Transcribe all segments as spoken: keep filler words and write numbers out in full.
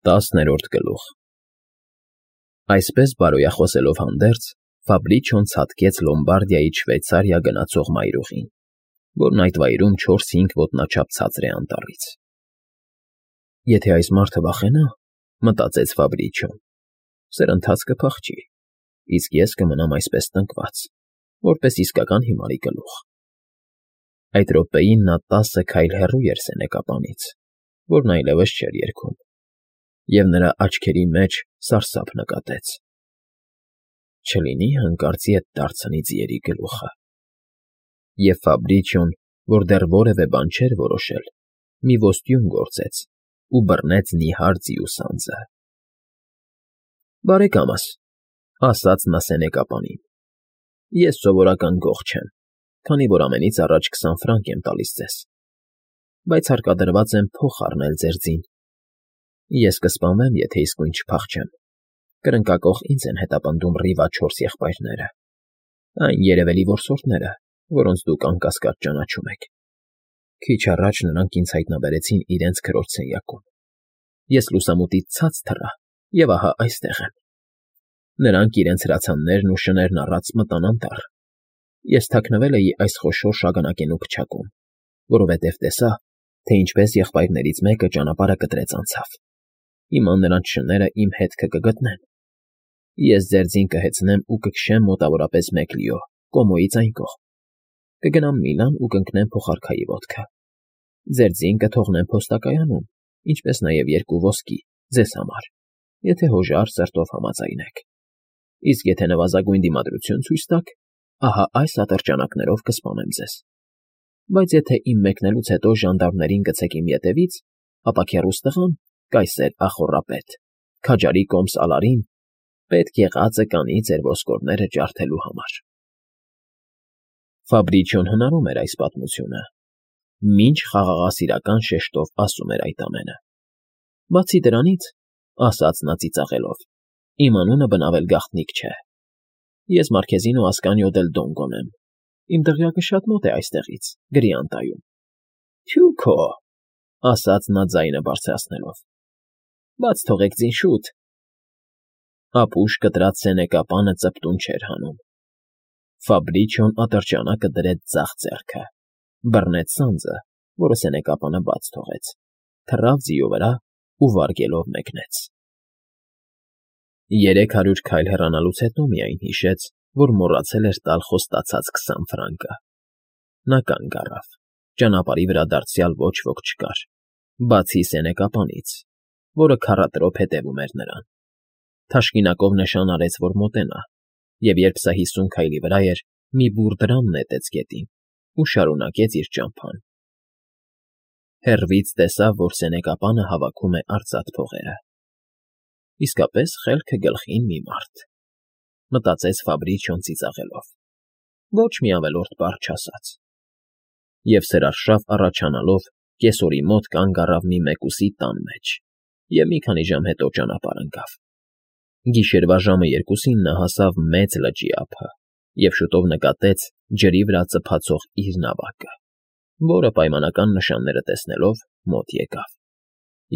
Տասներորդ գլուխ Այսպես բարոյախոսելով հանդերձ, Ֆաբրիչոն ցատկեց Լոմբարդիայից Շվեյցարիա գնացող մայրուղին, որն այդ վայրում չորս֊հինգ ոտնաչափ ցածր է անտառից։ Եթե այս մարդը վախենա, մտածեց Ֆաբրիչոն, սրընթաց կփախչի, իսկ ես կմնամ այսպես տնկված, որպես իսկական հիմարի գլուխ։ Այդ րոպեին նա տասը քայլ հեռու էր սենեկապանից, որն այլևս չէր երգում, և նրա աչքերի մեջ սարսափ նկատեց. «Չլինի՞ հանկարծի էդ դարձնի ձիերի գլուխը»։ Եվ Ֆաբրիչոն, որ դեռ որևէ բան չէր որոշել, մի ոստյուն գործեց ու բռնեց նիհար ձիու սանձը։ «Բարեկամս,֊ ասաց նա սենեկապանին,֊ ես սովորական գող չեմ, քանի որ ամենից առաջ քսան ֆրանկ եմ տալիս ձեզ, բայց հարկադրված եմ փող խառնել ձեր ձին։ Ես կսպանվեմ, եթե իսկույն չփախչեմ, կրնկակոխ ինձ են հետապնդում Ռիվա չորս եղբայրները, այն երևելի որսորդները, որոնց դուք անկասկած ճանաչում եք։ Քիչ առաջ նրանք ինձ հայտնաբերեցին իրենց քրոջ սենյակում։ Ես լուսամուտից ցած թռա և ահա այստեղ եմ։ Նրանք իրենց հրացաններն ու շներն առած մտան անտառ։ Ես թաքնվել էի այս խոշոր շագանակենու փչակում, որովհետև տեսա, թե ինչպես եղբայրներից մեկը ճանապարհը կտրեց անցավ։ Հիմա նրանց շները իմ հետքը կգտնեն։ Ես ձեր ձին կհեծնեմ ու կքշեմ մոտավորապես մեկ լիո, Կոմոյից այն կողմ։ Կգնամ Միլան ու կընկնեմ փոխարքայի ոտքը։ Ձեր ձին կթողնեմ փոստակայանում, ինչպես նաև երկու ոսկի ձեզ համար, եթե հոժար սրտով համաձայնեք։ Իսկ եթե նվազագույն դիմադրություն ցույց տաք, ահա այս ատրճանակներով կսպանեմ ձեզ։ Բայց եթե իմ մեկնելուց հետո ժանդարմներին գցեք իմ ետևից, ապա քեռուս տղան, կայսեր ախոռապետ, քաջարի կոմս Ալարին, պետք եղածը կանի ձեր ոսկորները ջարդելու համար»։ Ֆաբրիչոն հնարում էր այս պատմությունը, մինչ խաղաղասիրական շեշտով ասում էր այդ ամենը։ «Բացի դրանից,֊ ասաց նա ծիծաղելով,֊ իմ անունը բնավել գաղտնիք չէ։ Ես Մարքեզինո Ասկանիո դել Դոնգոն եմ, իմ դղյակը շատ մոտ է այստեղից, Գրիանտայում»։ «Թյու քո!֊ ասաց նա ձայնը բարձրացնելով,֊ բաց թողեք ձին, շուտ»։ Ապուշ կտրած սենեկապանը ծպտուն չէր հանում։ Ֆաբրիչոն ատրճանակը դրեց ձախ ձեռքը, բռնեց սանձը, որը սենեկապանը բաց թողեց, թռավ ձիու վրա ու վարգելով մեկնեց։ Երեք հարյուր քայլ հեռանալուց հետո միայն հիշեց, որ մոռացել էր տալ խոստացած քսան ֆրանկը։ Նա կանգ առավ, ճանապարհի վրա դարձյալ ոչ ոք չկար, բացի սենեկապանից, որը քառատրոփ հետևում էր նրան։ Թաշկինակով նշան արեց, որ մոտենա, և երբ սա հիսուն քայլի վրա էր, մի բուռ դրամ նետեց գետին ու շարունակեց իր ճամփան։ Հեռվից տեսավ, որ սենեկապանը հավաքում է արծաթ փողերը։ Իսկապես խելքը գլխին մի մարդ, մտածեց Ֆաբրիչոն ծիծաղելով, ոչ մի ավելորդ բառ չասաց։ Եվ սրարշավ առաջանալով կեսօրի մոտ կանգ առավ մի մեկուսի տան մեջ և մի քանի ժամ հետո ճանապարհ ընկավ։ Գիշերվա ժամը երկուսին նա հասավ մեծ լճի ափը և շուտով նկատեց ջրի վրա ծփացող իր նավակը, որը պայմանական նշանները տեսնելով մոտ եկավ։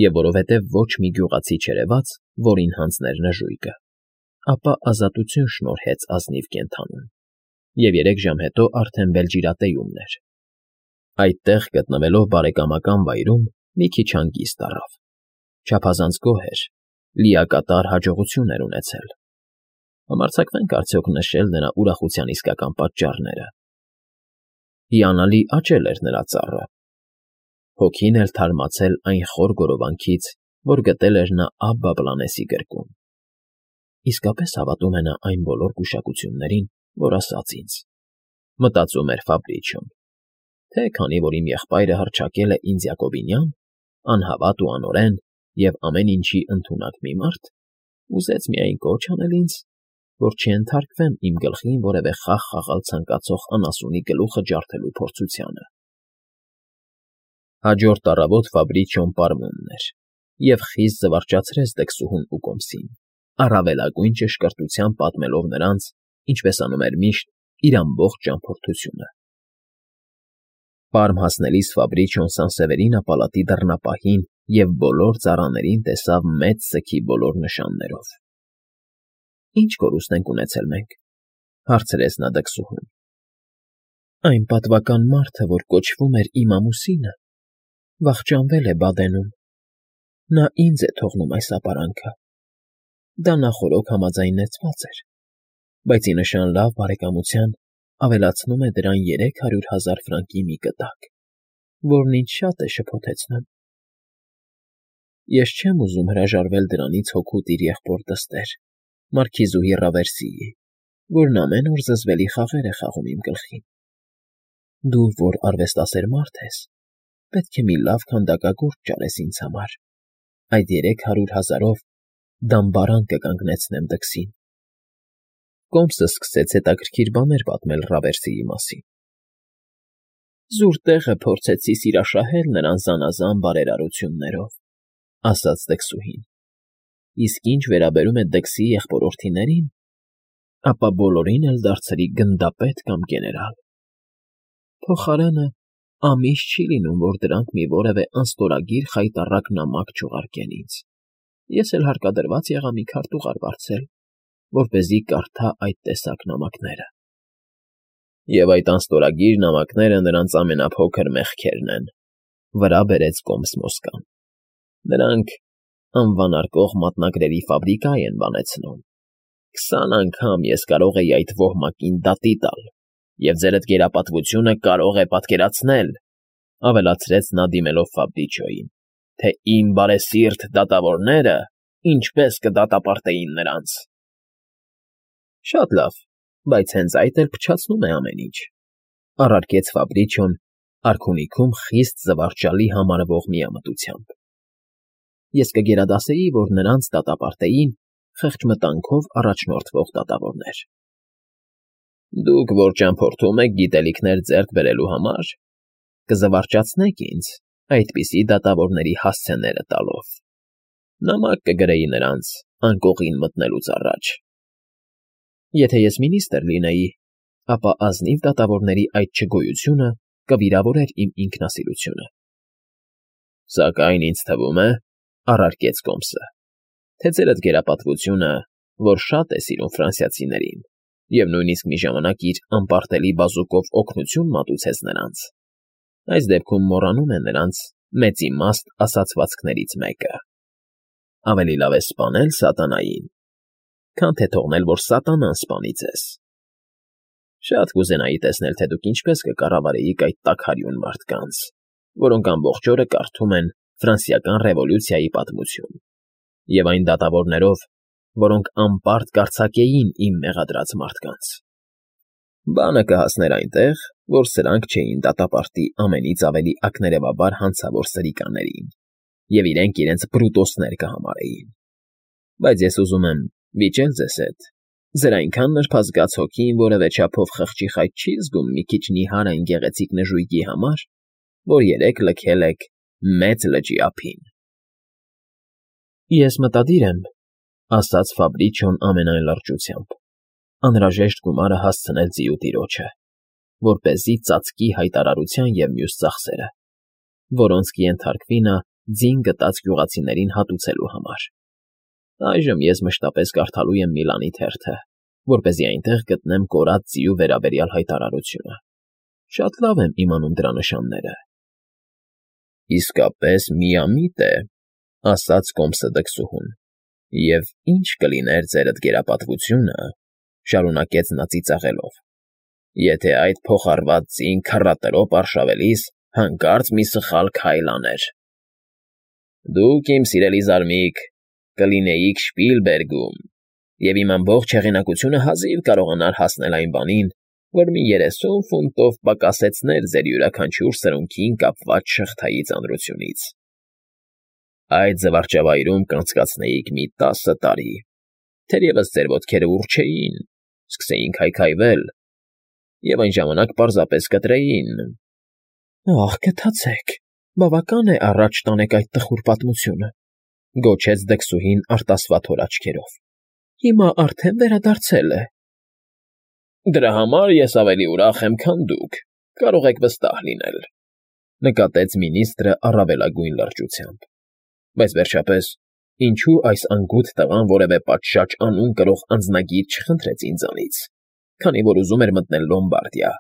Եվ որովհետև ոչ մի գյուղացի չերևաց, որին հանձներ նժույգը, ապա ազատություն շնորհեց ազնիվ կենդանուն, և երեք ժամ հետո արդեն Բելջիրատեյումն էր։ Այդտեղ գտնվելով բարեկամական վայրում մի քիչ հանգիստ առավ։ Չափազանց գոհ էր, լիակատար հաջողություն էր ունեցել։ Համարձակվե՞նք արդյոք նշել նրա ուրախության իսկական պատճառները։ Հիանալի աճել էր նրա ծառը։ Հոգին էր թարմացել այն խոր գորովանքից, որ գտել էր նա Աբբա Բլանեսի գրկում։ Իսկապես հավատում է նա այն բոլոր գուշակություններին, որ ասաց ինձ, մտածում էր Ֆաբրիչոն, թե քանի որ իմ եղբայրը հռչակել է ինձ Յակոբինյան, անհավատ ու անօրեն և ամեն ինչի ընդունակ մի մարդ, ուզեց միայն կոչ անել ինձ, որ չենթարկվեմ իմ գլխին որևէ խաղ խաղալ ցանկացող անասունի գլուխը ջարդելու փորձությանը։ Հաջորդ առավոտ Ֆաբրիչոն պարմունն էր և խիստ զվարճացրեց դքսուհուն ու կոմսին, առավելագույն ճշգրտությամբ պատմելով նրանց, ինչպես անում էր միշտ, իր ամբողջ ճամփորդությունը։ Պարմ հասնելիս Ֆաբրիչոն Սանսևերինա պալատի դռնապահին և բոլոր ծառաներին տեսավ մեծ սգի բոլոր նշաններով։ ֊ Ի՞նչ կորուստ ենք ունեցել մենք,֊ հարցրեց նա դքսուհուն։ ֊ Այն պատվական մարդը, որ կոչվում էր իմ ամուսինը, վախճանվել է Բադենում. նա ինձ է թողնում այս ապարանքը։ Դա նախօրոք համաձայնեցված էր, բայց ի նշան լավ բարեկամության ավելացնում է դրան երեք հարյուր հազար ֆրանկի մի կտակ, որն ինձ շատ է շփոթեցնում։ Ես չեմ ուզում հրաժարվել դրանից հօգուտ իր եղբոր դստեր, մարքիզուհի Ռավերսիի, որն ամեն օր զզվելի խաղեր է խաղում իմ գլխին։ Դու, որ արվեստասեր մարդ ես, պետք է մի լավ քանդակագործ ճարես ինձ համար, այդ երեք հարյուր հազարով դամբարան կկանգնեցնեմ դքսին։ Կոմսը սկսեց հետաքրքիր բաներ պատմել Ռավերսիի մասին։ Զուր տեղը փորձեցի սիրաշահել նրան զանազան բարերարություններով, ասաց դքսուհին, իսկ ինչ վերաբերում է դքսի եղբորորդիներին, ապա բոլորին էլ դարձրի գնդապետ կամ գեներալ։ Փոխարենը ամիս չի լինում, որ դրանք մի որևէ անստորագիր խայտառակ նամակ չուղարկեն ինձ, ես էլ հարկադրված եղա մի քարտուղար վարձել, որպեսզի կարդա այդ տեսակ նամակները։ Եվ այդ անստորագիր նամակները նրանց ամենափոքր մեղքերն են,֊ վրա բերեց Կոմս Մոսկան։ Նրանք անվանարկող մատնագրերի ֆաբրիկա են բանեցնում։ Քսան անգամ ես կարող էի այդ ոհմակին դատի տալ, և ձերդ գերապատվությունը կարող է պատկերացնել, ավելացրեց նա դիմելով Ֆաբրիչոյին, թե իմ բարեսիրտ դատավորները ինչպես կդատապարտեին նրանց։ Շատ լավ, բայց հենց այդ էլ փչացնում է ամեն ինչ,֊ առարկեց Ֆաբրիչոն արքունիքում խիստ զվարճալի համարվող միամտությամբ։ Ես կգերադասեի, որ նրանց դատապարտեին խեղճմտանքով առաջնորդվող դատավորներ։ Դուք որ ճամփորդում եք գիտելիքներ ձեռք բերելու համար, կզվարճացնեք ինձ այդպիսի դատավորների հասցեները տալով։ Նամակ կգրեի նրանց անկողին մտնելուց առաջ։ Եթե ես մինիստրը լինեի, ապա ազնիվ դատավորների այդ չգոյությունը կվիրավորեր իմ ինքնասիրությունը։ Սակայն ինձ թվում է, առարկեց Կոմսը, թե ձերդ գերապատվությունը, որ շատ է սիրում ֆրանսիացիներին, և նույնիսկ մի ժամանակ իր անպարտելի բազուկով օգնություն մատուցեց նրանց, այս դեպքում մոռանում է նրանց մեծիմաստ ասացվածքներից մեկը. ավելի լավ է սպանել սատանային, քան թե թողնել, որ սատանան սպանի ձեզ։ Շատ կուզենայի տեսնել, թե դուք ինչպես կկառավարեիք այդ տաքարյուն մարդկանց, որոնք ամբողջ օրը կարդում են ֆրանսիական ռևոլյուցիայի պատմություն, և այն դատավորներով, որոնք անպարտ կարձակեին իմ մեղադրած մարդկանց։ Բանը կհասներ այնտեղ, որ սրանք չէին դատապարտի ամենից ավելի ակներևաբար հանցավոր սրիկաներին, և իրենք իրենց բրուտոսներ կհամարեին։ Բայց ես ուզում եմ վիճել ձեզ հետ, ձեր այնքան նրբազգաց հոգին որևէ չափով խղճի խայտ չի զգում մի քիչ նիհար այն գեղեցիկ նժույգի համար, որ երեկ լքել եք մեծ լճի ափին։ Ես մտադիր եմ, ասաց Ֆաբրիչոն ամենայն լրջությամբ, անհրաժեշտ գումարը հասցնել ձիու տիրոջը, որպեսզի ծածկի հայտարարության և մյուս ծախսերը, որոնց կենթարկվի նա ձին գտած գյուղացիներին հատուցելու համար։ Այժմ ես մշտապես կարդալու եմ Միլանի թերթը, որպեսզի այնտեղ գտնեմ կորած ձիու վերաբերյալ հայտարարությունը։ Շատ լավ եմ իմանում դրա նշանները։ Իսկապես միամիտ է, ասաց Կոմսը դքսուհուն, և ինչ կլիներ ձերդ գերապատվությունը, շարունակեց նա ծիծաղելով, եթե այդ փոխառված ձին քառատրոպ արշավելիս հանկարծ մի սխալ քայլ աներ։ Դուք, իմ սիրելի զարմիկ, կլինեիք Շպիլբերգում, և իմ ամբողջ հեղինակությունը հազիվ կարողանար հասնել այն բանին, որ մի երեսուն ֆունտով պակասեցներ ձեր յուրաքանչյուր սրունքին կապված շղթայի ծանրությունից։ Այդ զվարճավայրում կանցկացնեիք մի տասը տարի, թերևս ձեր ոտքերը ուռ չէին, սկսեին քայքայվել, և այն ժամանակ պարզապես կտրեին։ Ահ, գթացեք, բավական է առաջ տանեք այդ տխուր պատմությունը, գոչեց դքսուհին արտասվաթոր աչքերով։ Հիմա արդեն վերադարձել է։ Դրա համար ես ավելի ուրախ եմ, քան դուք, կարող եք վստահ լինել, նկատեց մինիստրը առավելագույն լրջությամբ։ Բայց, վերջապես, ինչո՞ւ այս անգութ տղան որևէ պատշաճ անուն կրող անձնագիր չխնդրեց ինձանից, քանի որ ուզում էր մտնել Լոմբարդիա։